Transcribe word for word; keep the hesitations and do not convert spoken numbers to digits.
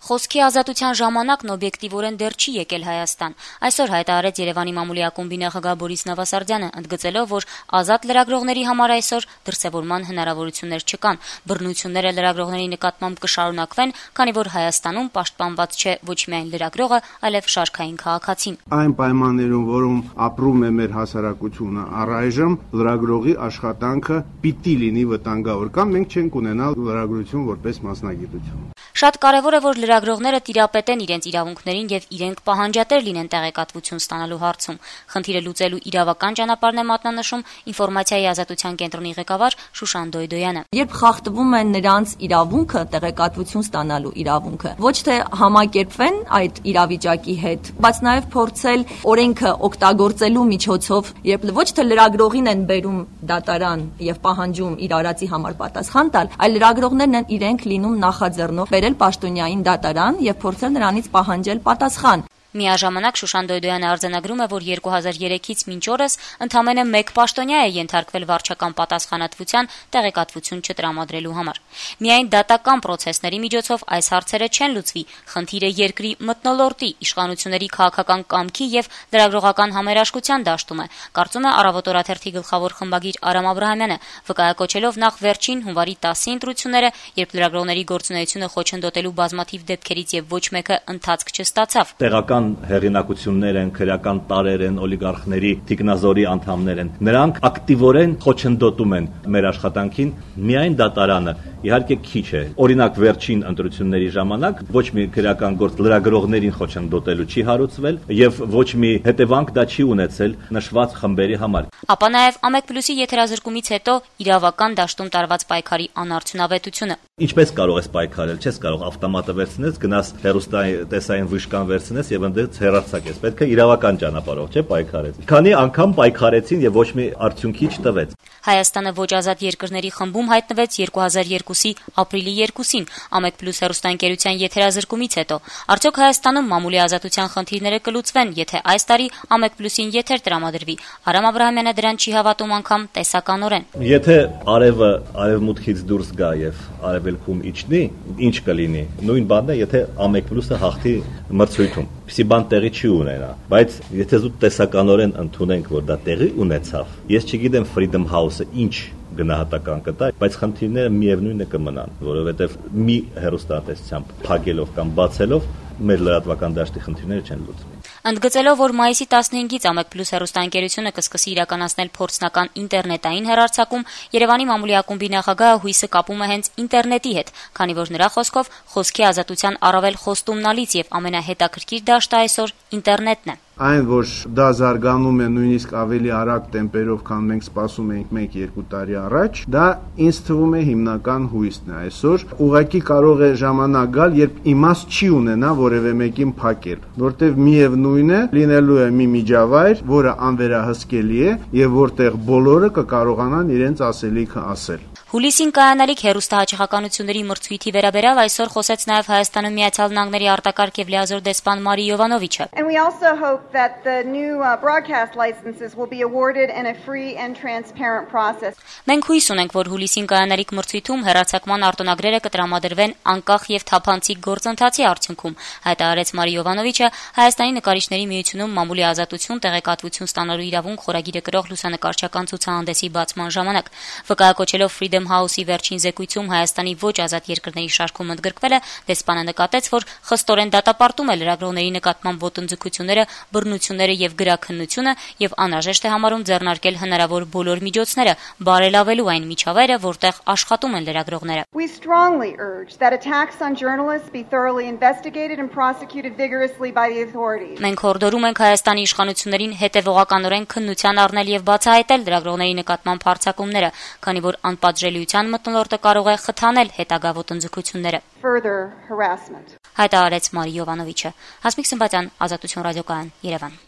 Խոսքի ազատության ժամանակն օբյեկտիվորեն դեռ չի եկել Հայաստան։ Այսօր հայտարարեց Երևանի մամուլի ակումբի նախագահ Բորիս Նավասարդյանը, ընդգծելով, որ ազատ լրագրողների համար այսօր դրսևորման հնարավորություններ չկան։ Բռնությունները լրագրողների նկատմամբ կշարունակվեն, քանի որ Հայաստանում պաշտպանված չէ ոչ միայն լրագրողը, այլև շարքային քաղաքացին։ Այն պայմաններում, որում ապրում է մեր հասարակությունը առայժմ, լրագրողի աշխատանքը պիտի լինի վտանգավոր, կամ մենք չենք ունենալ լրագրություն որպես մասնագիտություն։ Շատ կարևոր է, որ լրագրողները տիրապետեն իրենց իրավունքներին եւ իրենք պահանջատեր լինեն տեղեկատվություն ստանալու հարցում։ Խնդիրը լուծելու իրավական ճանապարհն է մատնանշում ինֆորմացիայի ազատության կենտրոնի ղեկավար Շուշան Դոյդոյանը։ Երբ խախտվում է նրանց իրավունքը, տեղեկատվություն ստանալու իրավունքը, ոչ թե համակերպվեն այդ իրավիճակի հետ, բայց նաեւ փորձել օրենքը օգտագործելու միջոցով, երբ ոչ թե լրագրողին են բերում դատարան եւ պահանջում իր արածի համար պատասխան տալ, այլ լրագրողներն են իրենք լինում նախաձեռնող պաշտոնյային դատարան եւ փորձել նրանից պահանջել պատասխան։ Միաժամանակ Շուշան Դոյդոյանը արձանագրում է, որ երկու հազար երեքից մինչ օրս ընդամենը մեկ պաշտոնյա է ենթարկվել վարչական պատասխանատվության տեղեկատվություն չտրամադրելու համար։ Միայն դատական պրոցեսների միջոցով այս հարցերը չեն լուծվի, խնդիրը երկրի մթնոլորտի, իշխանությունների քաղաքական կամքի եւ լրագրողական համերաշխության դաշտում է, կարծում է Առավոտ օրաթերթի գլխավոր խմբագիր Արամ Աբրահամյանը, վկայակոչելով նախ վերջին հունվարի տասի ընտրությունները, երբ լրագրողների գործունեությունը խոչընդոտելու բազմաթիվ դեպքերից եւ ոչ մեկը ընթացք չստացավ։ Հեղինակություններ են, քրեական տարեր են, օլիգարխների թիկնազորի անդամներ են։ Նրանք ակտիվորեն խոչընդոտում են մեր աշխատանքին, միայն դատարանը իհարկե քիչ է։ Օրինակ վերջին ընտրությունների ժամանակ ոչ մի քրեական գործ լրագրողներին խոչընդոտելու չի հարուցվել եւ ոչ մի հետևանք դա չի ունեցել նշված խմբերի համար։ Ապա նաեւ Ամեկ Պլյուսի եթերազրկումից հետո իրավական դաշտում տարված պայքարի անարդյունավետությունը։ Ինչպես կարող ես պայքարել, չես կարող ավտոմատը վերցնես, գնաս հեռուստատեսային վիշկան վերցնես եւ ընդդեմ հեռարձակես։ Պետք է իրավական ճանապարհով, չէ՞, պայքարես։ Քանի անգամ պայքարեցին եւ ոչ մի արդյունքի չտվեց։ Հայաստանը ոչ ազատ երկրների խմբում հայտնվեց երկու հազար երկուսի ապրիլի երկուսին Ամեկ Պլյուս հեռուստաընկերության եթերազրկումից հետո։ Արդյոք Հայաստանում մամուլի ազատության խնդիրները կլուծվեն, եթե այս տարի Ամեկ Պլյուսին եթեր տրամադրվի։ Արամ Աբրահամյանը դրան չի հավատում անգամ տեսականորեն։ Եթե արևը արևմուտքից դուրս գա եւ արևելքում իջնի, ինչ կլինի։ Նույն բանն է, եթե Ամեկ Պլյուսը հաղթի մրցույթում։ Պիսի բան տեղի չի ունենա, բայց եթե զուտ տեսականորեն ընդունենք, որ դա տեղի ունեցավ, ես չգիտեմ Freedom House-ը ինչ գնահատական կտա, բայց խնդիրները միևնույնն է կմնան, որովհետև մի հեռուստատեսությամբ փակելով կամ բացելով մեր լրատվական դաշտի խնդիրները չեն լուծվի։ Ընդգծելով, որ մայիսի տասնհինգից Ամեկ Պլյուս հեռուստաընկերությունը կսկսի իրականացնել փորձնական ինտերնետային հեռարձակում, Երևանի մամուլի ակումբի նախագահը հույսը կապում է հենց ինտերնետի հետ, քանի որ նրա խոսքով խոսքի ազատության առավել խոստումնալից եւ ամենահետաքրքիր դաշտը այսօր ինտերնետն է։ Այն, որ դա զարգանում է նույնիսկ ավելի արագ տեմպերով, քան մենք սպասում էինք մեկ-երկու տարի առաջ, դա ինձ թվում է հիմնական հույսն է այսօր։ Ուղղակի կարող է ժամանակ գալ, երբ իմաստ չի ունենա որևէ մեկին փակել, որտեղ միևնույն է լինելու է մի միջավայր, որը անվերահսկելի է եւ որտեղ բոլորը կկարողանան իրենց ասելիքը ասել։ Հուլիսին կայանալիք հեռուստահաճախականությունների մրցույթի վերաբերյալ այսօր խոսեց նաև Հայաստանում Միացյալ Նահանգների արտակարգ եւ լիազոր դեսպան Մարի Յովանովիչը։ And we also hope that the new uh, broadcast licenses will be awarded in a free and transparent process. Մենք հույս ունենք, որ հուլիսին կայանալիք մրցույթում հեռարձակման արտոնագրերը կտրամադրվեն անկախ եւ թափանցիկ գործընթացի արդյունքում, հայտարարեց Մարի Յովանովիչը Հայաստանի նկարիչների միությունում մամուլի ազատություն տեղեկատվություն ստանալու իրավունք խորագիրը կրող լուսանկարչական ցուցահանդեսի բացման ժամանակ, վկայակոչելով Freedom House-ի վերջին զեկույցում Հայաստանի ոչ ազատ երկրների շարքում ընդգրկվելը, դեսպանը նկատեց, որ խստորեն դատապարտում է լրագրողների նկատմամբ ոտնձգությունները, բռնությունները եւ գրաքննությունը եւ անհրաժեշտ է համարում ձեռնարկել հնարավոր բոլոր միջոցները, բարելավելու այն միջավայրը, որտեղ աշխատում են լրագրողները։ We strongly urge that attacks on journalists be thoroughly investigated and prosecuted vigorously by the authorities. Մենք հորդորում ենք Հայաստանի իշխանություններին հետևողականորեն քննության առնել եւ բացահայտել լրագրողների նկատմամբ հարձակումները, քանի որ անպատժելիության մթնոլորտը կարող է խթանել հետագա ոտնձգությունները։ Further harassment. Հայտարարեց Մարի Յովանովիչը։ Հասմիկ Սմբատյան, Ազատություն ռադիոկայան, Երևան։